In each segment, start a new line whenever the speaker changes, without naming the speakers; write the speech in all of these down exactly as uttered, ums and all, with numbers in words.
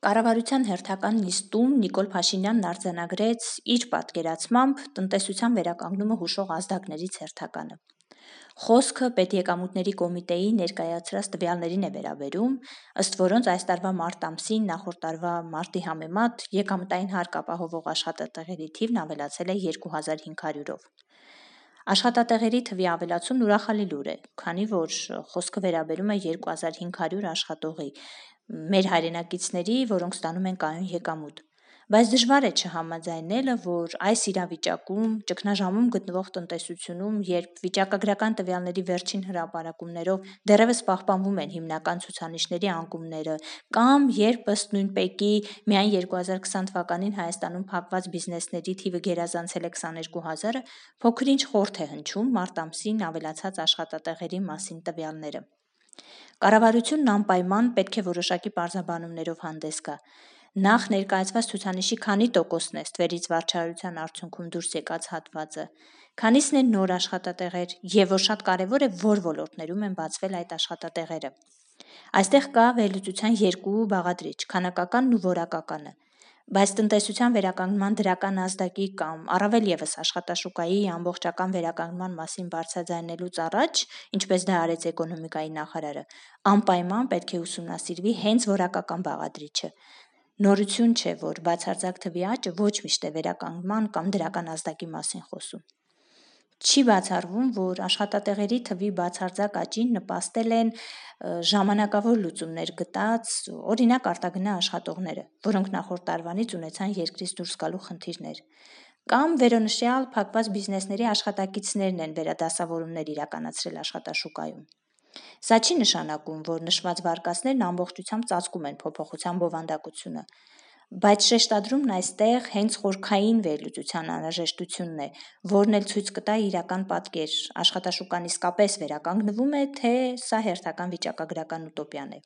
Կառավարության հերթական նիստում Նիկոլ Փաշինյանն արձանագրեց իր պատկերացմամբ տնտեսության վերականգնումը հուշող ազդակներից հերթականը։ Խոսքը պետեկամուտների կոմիտեի ներկայացրած տվյալներին է վերաբերում, ըստ որոնց այս տարվա մարտ ամսին նախորդ տարվա մարտի համեմատ եկամտային հարկ ապահովող աշխատատեղերի թիվն ավելացել է երկու հազար հինգ հարյուրով։ Աշխատատեղերի թվի ավելացումն ուրախալի լուր է, քանի որ խոսքը վերաբերում է երկու հազար հինգ հարյուր աշխատողի, մեր հայրենակիցների, որոնք ստանում են կայուն եկամուտ։ Բայց դժվար է չհամաձայնելը, որ այս իրավիճակում, ճգնաժամում գտնվող տնտեսությունում, երբ վիճակագրական տվյալների վերջին հրապարակումներով դեռևս պահպանվում են հիմնական ցուցանիշների անկումները, կամ երբ ըստ նույնպեկի միայն երկու հազար քսան թվականին Հայաստանում փակված բիզնեսների թիվը գերազանցել է քսաներկու հազարը, փոքր-ինչ խորթ է հնչում մարտ ամսին ավելացած աշխատատեղերի մասին տվյալները։ Կառավարությունն անպայման պետք է որոշակի պարզաբանումներով հանդես գա։ Նախ ներկայացված ցուցանիշի քանի տոկոսն է ստվերից վարչարարության արդյունքում դուրս եկած հատվածը, քանիսն են նոր աշխատատեղեր և որ շատ կարևոր է, որ ոլորտներում են բացվել այդ աշխատատեղերը։ Այստեղ կա վերլուծության երկու բաղադրիչ՝ քանակականն ու որակականը։ Բայց տնտեսության վերականգնման դրական ազդակի կամ առավել ևս աշխատաշուկայի ամբողջական վերականգնման մասին բարձրաձայնելուց առաջ, ինչպես դա արեց էկոնոմիկայի նախարարը, անպայման պետք է ուսումնասիրվի հենց որակական բաղադրիչը։ Նորություն չէ, որ բացարձակ թվի աճը ոչ միշտ է վերականգնման կամ դրական ազդակի մասին խոսում։ Չի բացառվում, որ աշխատատեղերի թվի բացարձակ աճին նպաստել են ժամանակավոր լուծումներ գտած, օրինակ արտագնա աշխատողները, որոնք նախորդ տարվանից ունեցան երկրից դուրս գալու խնդիրներ, կամ վերոնշյալ փակված բիզնեսների աշխատակիցներն են վերադասավորումներ իրականացրել աշխատաշուկայում։ Սա չի նշանակում, որ նշված վարկածներն ամբողջությամբ ծածկում են փոփոխության բովանդակությունը, բայց շեշտադրումն այստեղ հենց խորքային վերլուծության անհրաժեշտությունն է, որն էլ ցույց կտա իրական պատկեր՝ աշխատաշուկան իսկապես վերականգնվում է, թե սա հերթական վիճակագրական ուտոպիան է։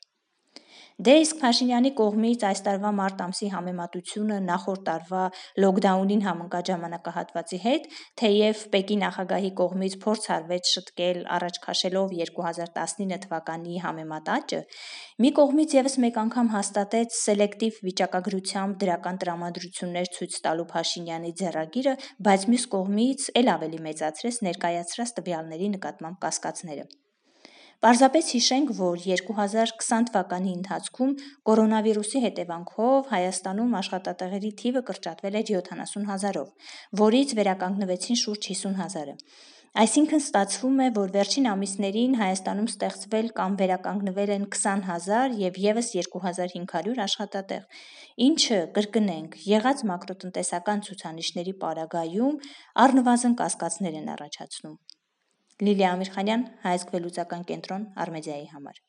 Դե իսկ Փաշինյանի կողմից այս տարվա մարտ ամսի համեմատությունը նախորդ տարվա լոքդաունին համընկած ժամանակահատվածի հետ, թեև Պեկի նախագահի կողմից փորձ արվեց շտկել առաջ քաշելով երկու հազար տասնինը թվականի համեմատ աճը, մի կողմից ևս մեկ անգամ հաստատեց սելեկտիվ վիճակագրությամբ դրական տրամադրություններ ցույց տալու Փաշինյանի ձեռագիրը, բայց մյուս կողմից էլ ավելի մեծացրեց ներկայացրած տվյալների նկատմամբ կասկածները։ Պարզապես հիշենք, որ երկու հազար քսան թվականի ընթացքում կորոնավիրուսի հետևանքով Հայաստանում աշխատատեղերի թիվը կրճատվել էր յոթանասուն հազարով, որից վերականգնվեցին շուրջ հիսուն հազարը։ Այսինքն ստացվում է, որ վերջին ամիսներին Հայաստանում ստեղծվել կամ վերականգնվել են քսան հազար և ևս երկու հազար հինգ հարյուր աշխատատեղ, ինչը, կրկնենք, եղած մակրոտնտեսական ցուցանիշների պարագայում առնվազն կասկածներ են առաջացնում։ Լիլիա Ամիրխանյան, Հայացք վերլուծական կենտրոն, Արմեդիայի համար։